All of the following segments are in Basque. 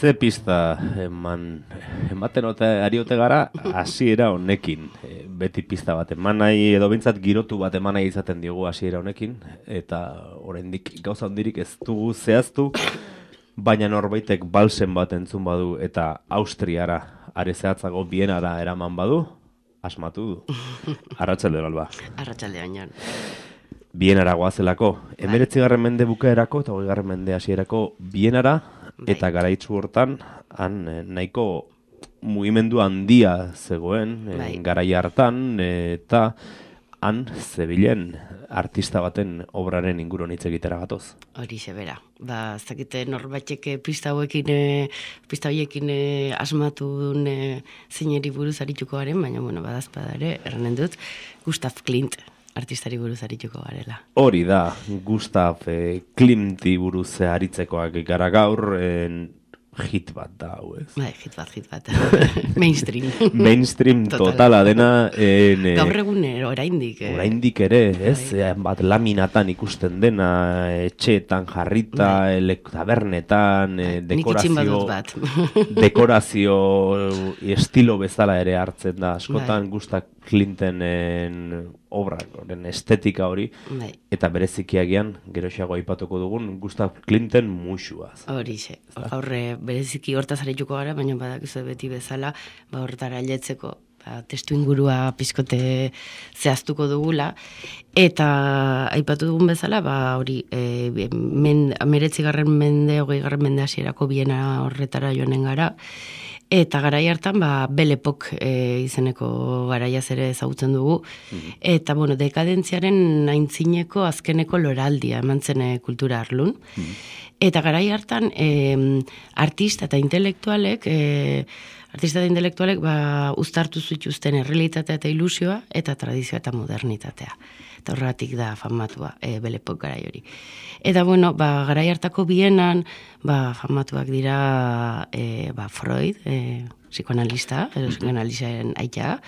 Ze pista ematen ariote gara hasiera honekin. Beti pista bat eman nahi, edo bintzat girotu bat eman nahi izaten diogu hasiera honekin, eta oraindik gauza handirik ez dugu zehaztu, baina norbaitek balsen bat entzun badu eta Austriara, are zehatzago Bienara eraman badu, asmatu du. Arratsalde Alba. Arratsalde Oinan. Bienara goazelako. 19. mende bukaerako eta 20. mende hasierako Bienara, eta garaitzu hortan, han nahiko mugimendu handia zegoen, garai hartan, eta han zebilen artista baten obraren inguruan hitz egitera gatoz. Horixe bera. Ez dakite norbaitek pista horiekin asmatu duen zeineri buruz arituko garen, baina badazpada ere, erranen dut, Gustav Klimt artistari buruz arituko garela. Hori da, Gustav Klimti buruz aritzekoak gara gaur, hit bat da, hau ez? Hit bat. Mainstream. Mainstream totala dena. Gaur egun oraindik. Oraindik ere, ez? Bat laminatan ikusten dena, etxeetan jarrita, tabernetan, dekorazio estilo bezala ere hartzen da. Askotan Gustav Klimtenen obra, estetika hori, eta berezikiagian, geroxeago aipatuko dugun, Gustav Klimten musuaz. Horixe, aurre bereziki hortaz arituko gara, baina badakizu beti bezala, hortara ailetzeko, testu ingurua pizkote zehaztuko dugula, eta aipatu dugun bezala, hori, 19. mende, 20. mende hasierako Biena horretara joanen gara, eta garai hartan, Belle Époque izeneko garaiaz ere ezagutzen dugu, eta, dekadentziaren aintzineko azkeneko loraldia eman zen kultura arlun, eta garai hartan artista eta intelektualek uztartu zituzten errealitatea eta ilusioa, eta tradizioa eta modernitatea. Eta horregatik da famatua Belle Époque garai hori. Eta, garai hartako Bienan, famatuak dira Freud, psikoanalista, psikoanalizaren aita,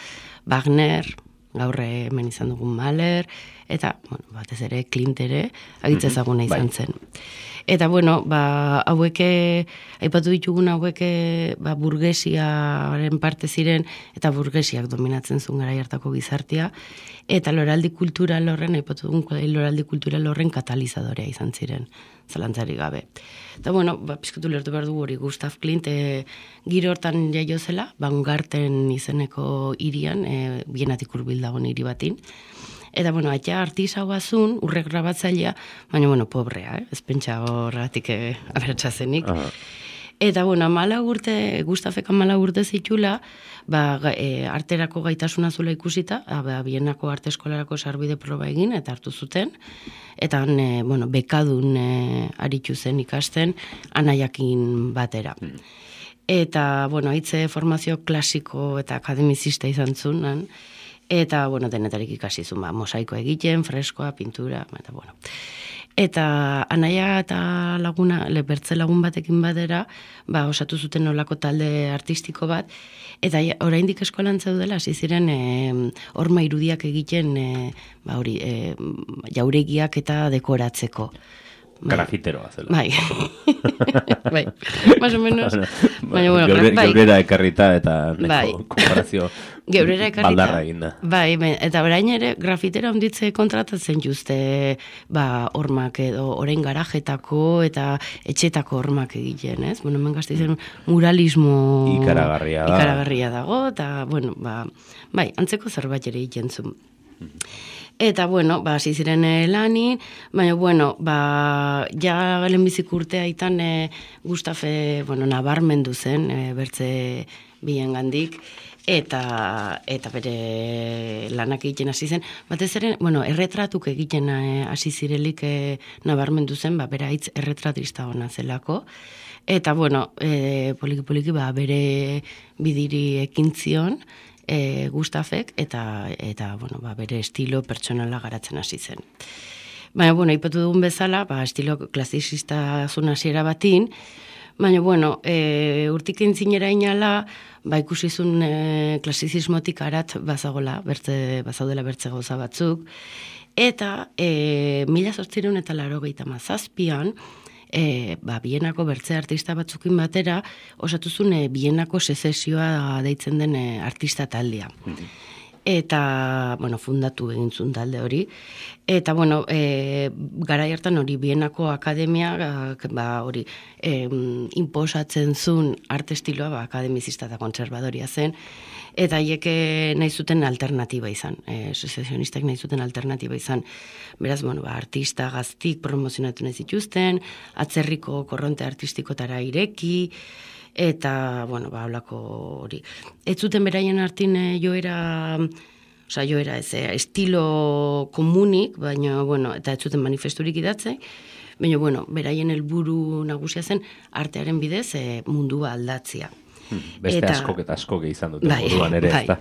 Wagner, gaur hemen izan dugun Mahler, eta, batez ere, Klimt ere, agitza ezaguna izan zen. Eta, hauek, aipatu ditugun hauek, burgesiaren parte ziren, eta burgesiak dominatzen zuen garai hartako gizartea, eta loraldi kultural horren, aipatu dugun loraldi kultural horren katalizadorea izan ziren, zalantzari gabe. Eta, pizkutu lertu behar dugu hori, Gustav Klimt giro hortan jaio zela, Baumgarten izeneko hirian, Bienatik hurbil dagoen hiri batin. Eta, aita artisa guazun, urrek grabatzailea, baina, pobrea, ez pentsa horretik aberatsa zenik. Eta, Gustavek 14 urte zitula, arterako gaitasuna zula ikusita, Bienako arte eskolarako sarbide proba egin, eta hartu zuten, eta bekadun aritu zen ikasten, anaiakin batera. Eta, haitze formazio klasiko eta akademizista izan zuen, eta, denetarik ikasi zuen, mosaiko egiten, freskoa, pintura, eta, Eta anaia eta laguna, bertze lagun batekin batera, osatu zuten nolako talde artistiko bat, eta oraindik eskolan zeudela, hasi ziren horma irudiak egiten, jauregiak eta dekoratzeko. Grafiteroa zela. Bai, más o menos. Geurera ekarrita eta konparazio baldarra eginda. Bai, eta orain ere grafitera onditze kontratatzen juzte hormak edo orain garajetako eta etxetako hormak egiten, ez? Hemen Gasteizen muralismo ikaragarria dago, eta, antzeko zerbait ere egiten zuen. Eta, hasi ziren lanin, baina, ja lehenbizik urtea itan Gustafe, nabarmendu zen, bertze bien gandik, eta bere lanak egiten hasi zen. Batez ere, erretratuk egiten hasi zirelik nabarmendu zen, bera hitz erretratista hona zelako, eta, poliki-poliki, bere bidiri ekin zion, Gustafek, eta bere estilo pertsonala garatzen hasi zen. Baina, ipatu dugun bezala, estilo klasizista zuen hasiera batin, baina, urtik entzinera inala, ikusizun klasizismotik arat bazaudela bertze gauza batzuk, eta 1887an Bienako bertze artista batzukin batera, osatuzun Bienako sezesioa deitzen den artista taldea. Eta, bueno, fundatu egin zuen talde hori. Eta, bueno, garai hartan hori Bienako akademia, hori, inposatzen zuen arte estiloa, akademizista eta kontserbadoria zen, eta haiek nahi zuten alternatiba izan, sezesionistak nahi zuten alternatiba izan. Beraz, bueno, artista gaztik promozionatu nahi zituzten, atzerriko korronte artistikotara ireki, eta, bueno, holako hori. Ez zuten beraien artin joera ez, estilo komunik, baina, bueno, eta ez zuten manifesturik idatze, baina, bueno, beraien helburu nagusia zen artearen bidez mundua aldatzea. Beste askok eta askok izan dute moduan ere, ez da?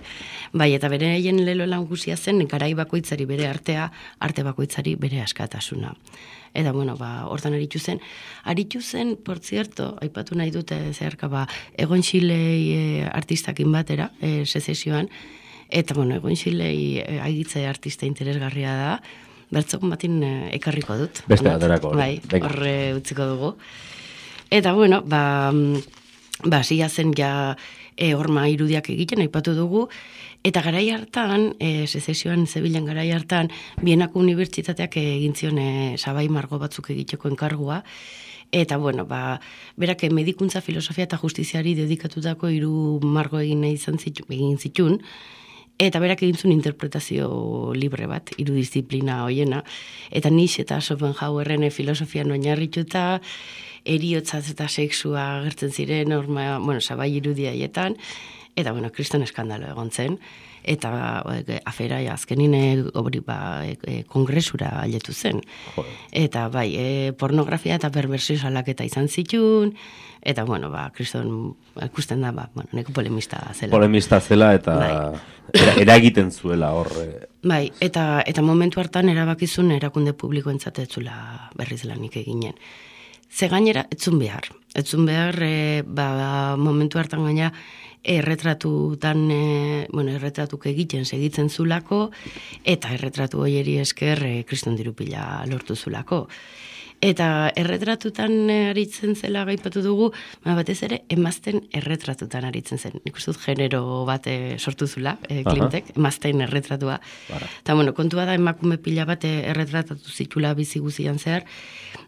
Bai, eta beraien lelo nagusia zen, garai bakoitzari bere artea, arte bakoitzari bere askatasuna. Eta, bueno, hortan aritu zen, por cierto, aipatu nahi dute zeharka, Egon Xilei artistakin batera, sezesioan, eta, bueno, Egon Xilei agitze artista interesgarria da, bertzokon batin ekarriko dut. Beste baterako. Bai, horre utziko dugu. Eta, bueno, hasia zen ja horma irudiak egiten, aipatu dugu, eta garai hartan, sezesioan zebilen garai hartan, Bienako unibertsitateak egin zion sabai margo batzuk egiteko enkargua, eta, bueno, berak medikuntza, filosofia eta justiziari dedikatutako 3 margo egin zitun, eta berak egin zuen interpretazio libre bat, 3 disiplina hoiena, eta Nietzsche eta Schopenhauerren filosofian oinarrituta, eriotzaz eta sexua agertzen ziren, sabai irudia haietan, eta, bueno, kriston eskandalo egon zen, eta afera azkenin kongresura ailetu zen. Eta, pornografia eta perversio salaketa izan zitun, eta, bueno, kriston ikusten da, neko polemista zela. Polemista zela eta eragiten zuela hor. Bai, eta momentu hartan erabakizun erakunde publikoentzat ez zula berriz lanik eginen. Ze gainera, etzun behar, momentu hartan gaina erretratuk egiten segitzen zulako, eta erretratu hoieri esker kriston dirupila lortu zulako. Eta erretratutan aritzen zela gaipatu dugu, batez ere emazten erretratutan aritzen zen. Nik uste dut genero bat sortu zula, Klimtek, emazten erretratua. Eta, bueno, kontua da emakume pila bat erretratatu zitula bizi guzian zehar,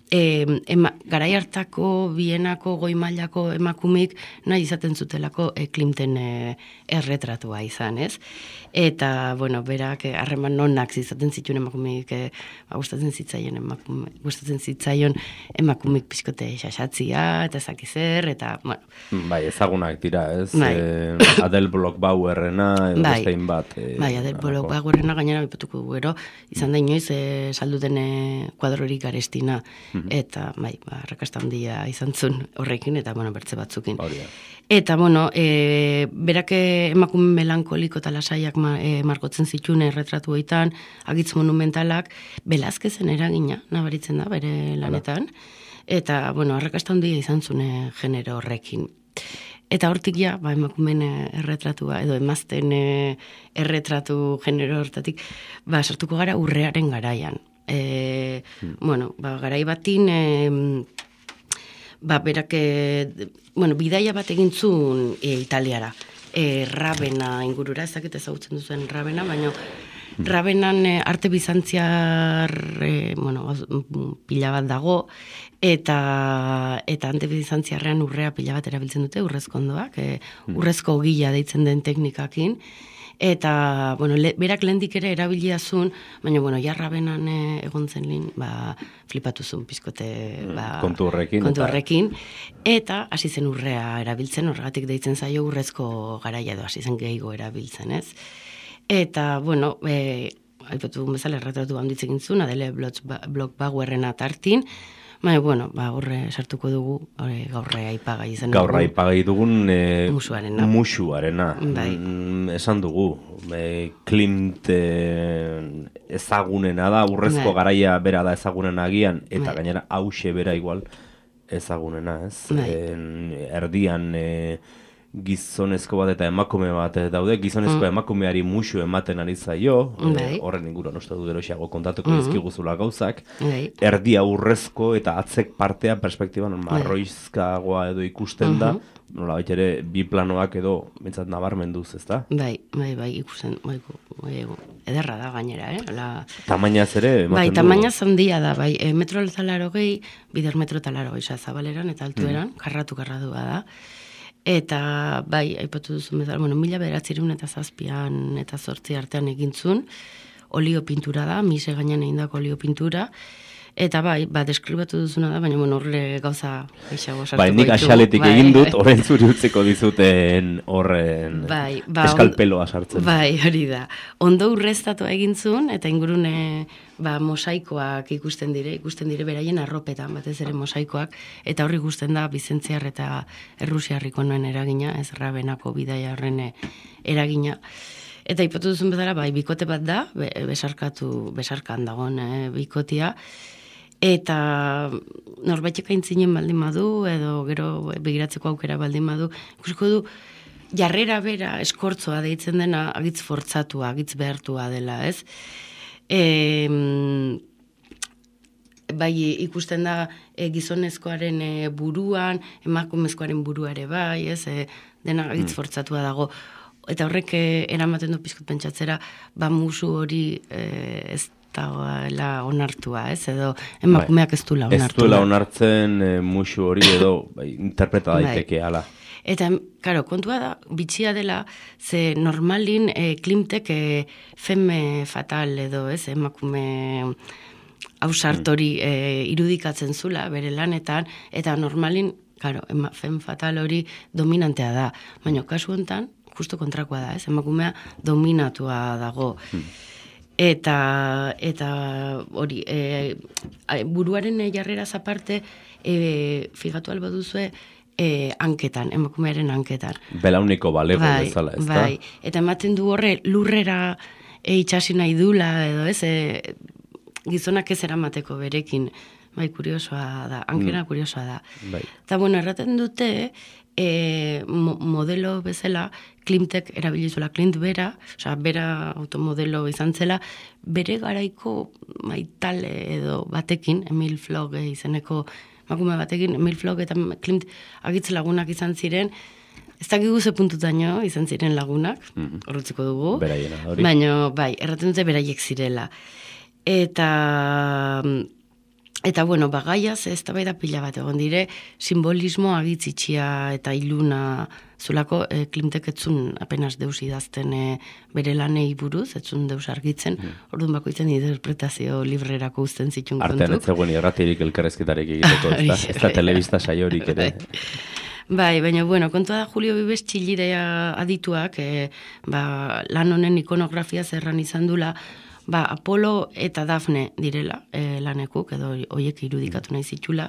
garai hartako Bienako goi mailako emakumik nahi izaten zutelako Klimten erretratua izan, ez? Eta, bueno, berak harreman nonak izaten zituen emakumik, gustatzen zitzaion emakumik pizkote xaxatzia, eta ezakizer, eta, bueno. Bai, ezagunak dira, ez? Adele Bloch-Bauerrena, edo bestein bat. Bai, Adele Bloch-Bauerena gainera bipatuko gero, izan da inoiz salduten kuadrorik garestina, eta, arrakasta handia izan zuen horrekin, eta, bueno, bertze batzukin. Eta, bueno, berak emakume melankoliko eta lasaiak margotzen zituen erretratu hoitan, agitz monumentalak, Velázquezen eragina, nabaritzen da, bere lanetan, eta, bueno, arrakasta handia izan zuen genero horrekin. Eta hortik ja, emakumen erretratua, edo emazten erretratu genero hortatik, sartuko gara urrearen garaian. Bueno, garai batin, berak, bidaia bat egin zuen Italiara, Rabena ingurura, ezakit ezagutzen duzuen Rabena, baina Rabenan arte bizantziar, pila bat dago, eta arte bizantziarrean urrea pila bat erabiltzen dute, urrezko ondoak, urrezko gila deitzen den teknikakin, eta, berak lehendik ere erabilia zuen, baina, jarrabenan egon zen lehen, flipatu zuen pizkote, kontu horrekin, eta hasi zen urrea erabiltzen, horregatik deitzen zaio urrezko garaia edo hasi zen gehiago erabiltzen, ez? Eta, aipatu bezala erretratu handitzen zuen, Adele Bloch-Bauerrena tartin, horre sartuko dugu, gaurre aipagai izan. Gaurre aipagai dugun musuarena. Esan dugu, Klimt ezagunena da, urrezko garaia bera da ezagunena agian, eta gainera hause bera igual ezagunena, ez? Erdian gizonezko bat eta emakume bat daude, gizonezko emakumeari musu ematen ari zaio, horren inguruan uste du geroxeago kontatuko dizkiguzula gauzak, erdi aurrezko eta atzek partea perspektiban marroizkagoa edo ikusten da, nola baita ere bi planoak edo bintzat nabarmenduz, ezta? Bai, ikusten, ederra da gainera, Tamainaz ere ematen du? Bai, tamainaz handia da, bai, metro eta 80, bider metro eta 80 zabaleran eta altueran, karradua da. Eta, bai, aipatu duzu bezala, 1907 eta 8 artean egintzun, olio pintura da, mise gainean egindako olio pintura, eta bai, deskribatu duzuna da, baina horre gauza eixago sartuko ditu. Bai, nik axaletik egin dut, horren zuri utziko dizuten horren eskalpeloa sartzen. Bai, hori da. Ondo urreztatu egintzun, eta ingurune mosaikoak ikusten dire beraien arropetan, batez ere mosaikoak, eta horri ikusten da Bizentziar eta Errusiarriko noen eragina, ez Rabenako bidaia horren eragina. Eta ipatu duzun bezala, bai, bikote bat da, besarkan dagoen bikotia, eta norbaitek aintzinen baldin badu, edo gero begiratzeko aukera baldin badu, ikusiko du, jarrera bera eskortzoa deitzen dena agitz fortzatua, agitz behartua dela, ez? Bai, ikusten da gizonezkoaren buruan, emakumezkoaren burua ere bai, ez? Dena agitz fortzatua dago. Eta horrek eramaten du pizkut pentsatzera, musu hori ez dagoela onartua, ez? Edo emakumeak ez duela onartua. Ez duela onartzen musu hori edo interpreta daiteke ala. Eta, karo, kontua da, bitxia dela, ze normalin Klimtek femme fatal edo, ez? Emakume ausartori irudikatzen zula bere lanetan, eta normalin, karo, femme fatal hori dominantea da. Baina, kasu honetan, justo kontrakoa da, ez? Emakumea dominatua dago. Eta hori, buruaren jarreraz aparte, figatu alba duzue, hanketan, emakumearen hanketan. Belauniko balego bezala, ez da? Bai, eta ematen du horre lurrera itxasi nahi dula, edo ez, gizonak ez eramateko berekin, bai, kuriosoa da, hankena kuriosoa da. Eta, bueno, erraten dute, modelo bezala, Klimtek erabilizula, Klimt bera, osea, bera automodelo izan zela, bere garaiko maitale edo batekin, Emil Flog izeneko emakume batekin, Emil Flog eta Klimt agitz lagunak izan ziren, ez dakigu ze puntutaino izan ziren lagunak, horretziko dugu, beraiena, hori. Baina, bai, erraten dute beraiek zirela. Eta bueno, gaiaz ez da bai da pila bat egon dire, simbolismo agitzitxia eta iluna zulako Klimtek etzun apenas deus idazten bere lanei buruz, etzun deus argitzen, orduan bakoitzen interpretazio librerako uzten zitun kontuk. Artean ez zegoen irratirik elkarrezketarik egiteko, ez da telebista saiorik ere. Bai, baina, bueno, kontua da Julio Vives txilidea adituak, lan honen ikonografia zerran izan dula, Apolo eta Dafne direla lanekuk, edo hoiek irudikatu nahi zitula.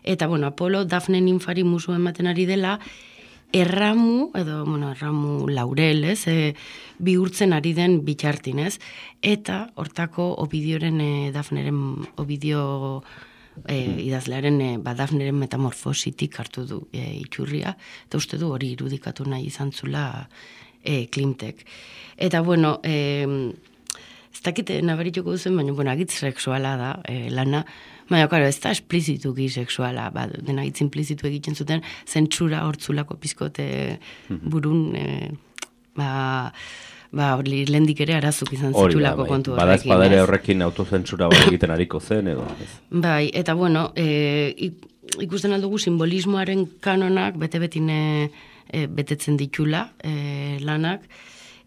Eta, bueno, Apolo, Dafne ninfari musu ematen ari dela, erramu laurel, ez, bihurtzen ari den bitxartin, ez. Eta, hortako Obidioren, Dafneren, Obidio idazlearen, Dafneren metamorfositik hartu du itxurria, eta uste du hori irudikatu nahi izan zula Klimtek. Eta, bueno, ez dakite nabarituko duzen, baina, agitz sexuala da, lana, baina, karo, ez da esplizituki sexuala, dena agitz implizitu egiten zuten, zentsura hortzulako pizkote burun, lehendik ere arazuk izan zitulako kontu horrekin. Bada espadere horrekin autozentsura bat egiten ariko zen, edo? Bai, eta, bueno, ikusten aldugu simbolismoaren kanonak bete-betin betetzen ditula lanak,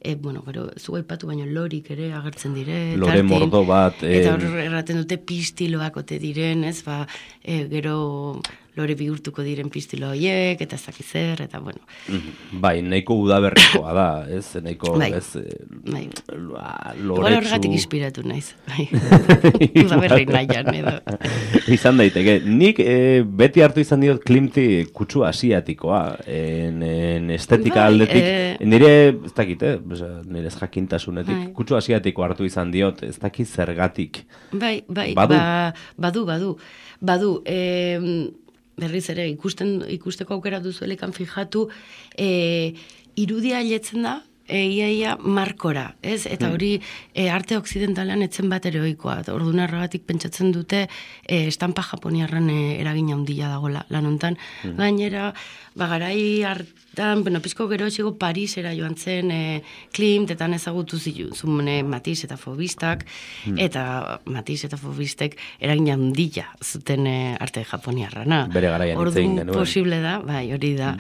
gero, zu aipatu baino lorik ere agertzen dire. Lore mordo bat. Eta hor erraten dute pistiloak ote diren, ez, gero lore bihurtuko diren pistilo horiek, eta ez dakiz zer, eta bueno. Bai, nahiko udaberrikoa da, ez? Nahiko, ez, loretsu. Igual horregatik inspiratu naiz. Udaberri nahian, edo. Izan daiteke. Nik beti hartu izan diot Klimti kutsu asiatikoa, estetika aldetik. Nire, ez dakit, nire ez jakintasunetik, kutsu asiatiko hartu izan diot, ez dakit zergatik. Bai, badu. berriz ere ikusteko aukera duzuelekan fijatu, irudia hiletzen da, iaia markora, ez? Eta hori arte okzidentalean etzen bat ere ohikoa. Orduan erragatik pentsatzen dute estampa japoniarran eragin handia dagoela lan hontan. Gainera, garai hartan, pizko gero txigo Parisera joan zen Klimt, eta ezagutu zuen Matisse eta Faubistak, eta Matisse eta Faubistek eragin handia zuten arte japoniarrana. Bere garaian hitzein genuen. Orduan posible da, bai, hori da.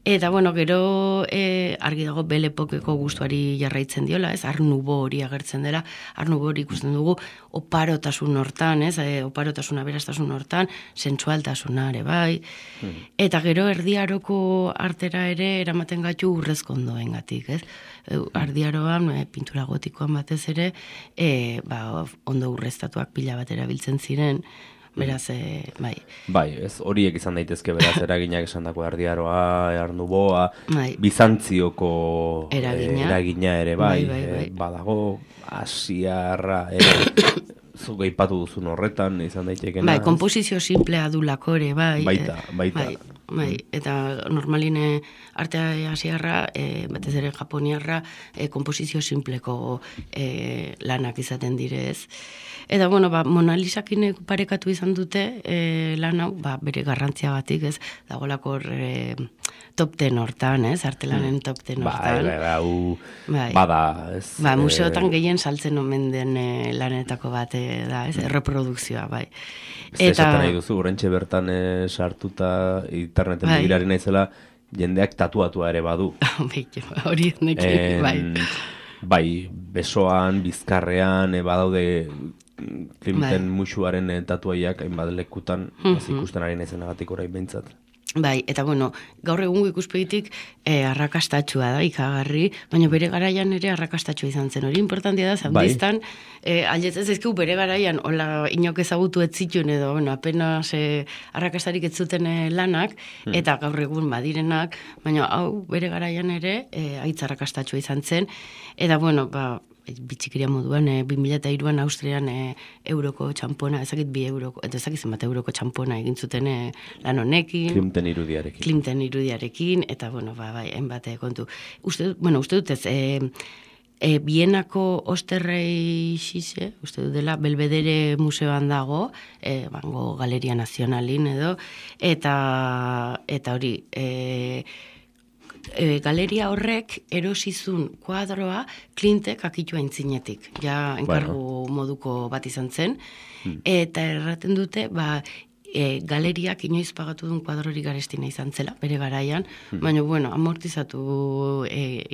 Eta, gero argi dago Belle Epokeko gustuari jarraitzen diola, ez? Art Nouveau hori agertzen dela, Art Nouveau hori ikusten dugu oparotasun hortan, ez? Oparotasun aberastasun hortan, sensualtasuna ere bai. Eta gero erdiaroko artera ere eramaten gaitu urrezkondoengatik, ez? Ardiaroan, pintura gotikoan batez ere, ondo urreztatuak pila bat erabiltzen ziren, beraz, bai. Bai, ez, horiek izan daitezke beraz eraginak esan dako Ardiaroa, Art Nouveua, Bizantzioko eragina ere, bai. Badago, Asiarra, zuk aipatu duzun horretan, izan daitekena. Bai, komposizio simplea du lakore, bai. Baita. Bai, eta normaline artea asiarra, batez ere japoniarra, komposizio simpleko lanak izaten direz. Eta, Mona Lisakin parekatu izan dute lan hau, bere garrantzia batik, ez, dagolako top 10 hortan, ez, artelanen top 10 hortan. Bada, ez. Museotan gehien saltzen omen den lanetako bat da, ez, reprodukzioa, bai. Esaten nahi duzu, urrentxe bertan sartuta interneten begirari naizela, jendeak tatuatua ere badu. Hori nekin, bai. Bai, besoan, bizkarrean, badaude Klimten musuaren tatuaiak hainbat lekutan, ikusten ari naizenagatik orain behintzat. Bai, eta gaur egungo ikuspegitik arrakastatxua da, ikagarri, baina bere garaian ere arrakastatxua izan zen. Hori importantia da, zaudiztan, aldetzen zaizkigu bere garaian, hola inok ezagutu ez zituen edo, apenas arrakastarik ez zuten lanak, eta gaur egun badirenak, baina hau bere garaian ere aitz arrakastatxua izan zen, eta bitxikiria moduan, 2002an Austrian euroko txampona, ezakit 2 euroko, eta ezakit zenbat euroko txampona egin zuten lan honekin. Klimten irudiarekin, eta bai, hainbat kontu. Uste dut ez, Bienako Osterrei Xixe, uste dut dela, Belvedere museoan dago, Bango Galeria Nazionalin edo, eta hori, galeria horrek erosizun kuadroa Klimtek akitua intzinetik. Ja, enkargu moduko bat izan zen. Eta erraten dute, galeriak inoiz pagatu duen kuadrori garestina izan zela, bere garaian, baina, amortizatu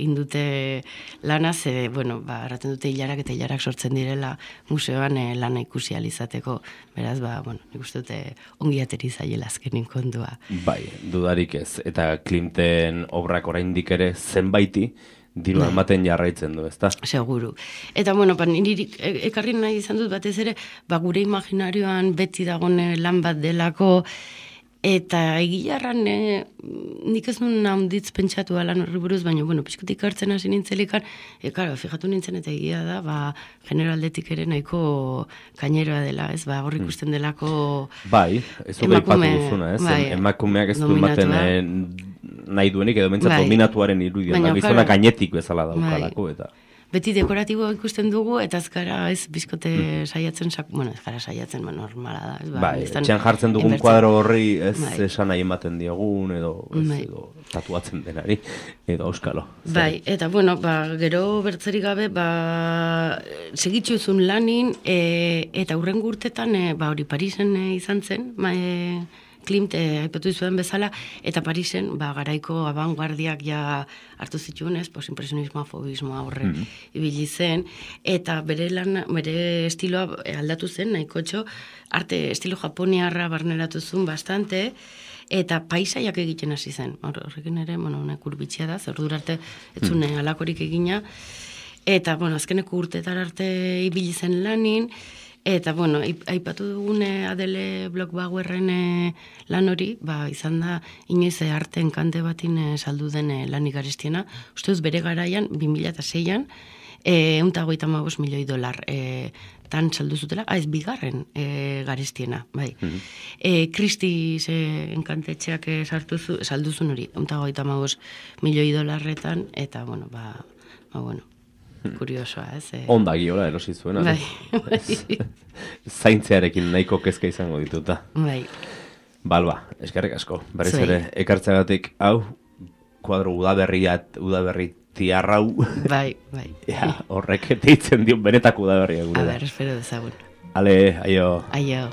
indute lanaz, erraten dute hilarak eta hilarak sortzen direla museoan lana ikusi alizateko. Beraz, nik uste dute ongi ateri zaiela azkenin kontua. Bai, dudarik ez. Eta Klimten obrak oraindik ere zenbaiti diru ematen jarraitzen du, ezta? Seguru. Eta, niri ekarri nahi izan dut batez ere, gure imaginarioan beti dagoen lan bat delako, eta egilarran nik ez nuen handitz pentsatu lan horri buruz, baina, pixkutik hartzen hasi nintzelikan, fijatu nintzen eta egia da, generaldetik ere nahiko kaineroa dela, ez, hor ikusten delako bai, ez hori ipatu duzuna, ez, emakumeak ez du ematen nahi duenik edo mentzat dominatuaren irudian, gizona gainetik bezala daukalako, eta beti dekoratibo ikusten dugu, eta azkara ez bizkote saiatzen, ezkara saiatzen, normala da. Bai, etxean jartzen dugun kuadro horri ez esan nahi ematen diogun, edo tatuatzen denari, edo auskalo. Bai, eta gero bertzerik gabe, segitxuzun lanin, eta hurrengo urtetan, hori Parisen izan zen, Klimt aipatu zuen bezala, eta Parisen garaiko abanguardiak ja hartu zituen, postimpresionismoa, fobismoa horre ibili zen, eta bere estiloa aldatu zen, nahikotxo, arte estilo japoniarra barneratu zuen bastante, eta paisaiak egiten hasi zen. Horrekin ere, kurbitxia da, zer durarte etzune alakorik egina, eta, azkeneko urtetar arte ibili zen lanin, eta, aipatu dugune Adele Bloch-Bauerren lan hori, izan da, inoiz arten kante batin saldu den lanik garestiena. Usteuz, bere garaian, 2006an, $155 milioi tan saldu zutela, ez bigarren garestiena, bai. Christie's enkantetxeak saldu zuen hori, $155 milioi, eta, bueno, bueno, kuriosoa, ez? Ondagi hola erosi zuena. Bai. Zaintzearekin nahiko kezka izango dituta. Bai. Balba, eskerrik asko. Berriz ere, ekartzagatik, hau, kuadro udaberri tiarrau. Bai. Horrek deitzen dio benetako udaberria gure. A ber, espero dezagun. Ale, aio. Aio.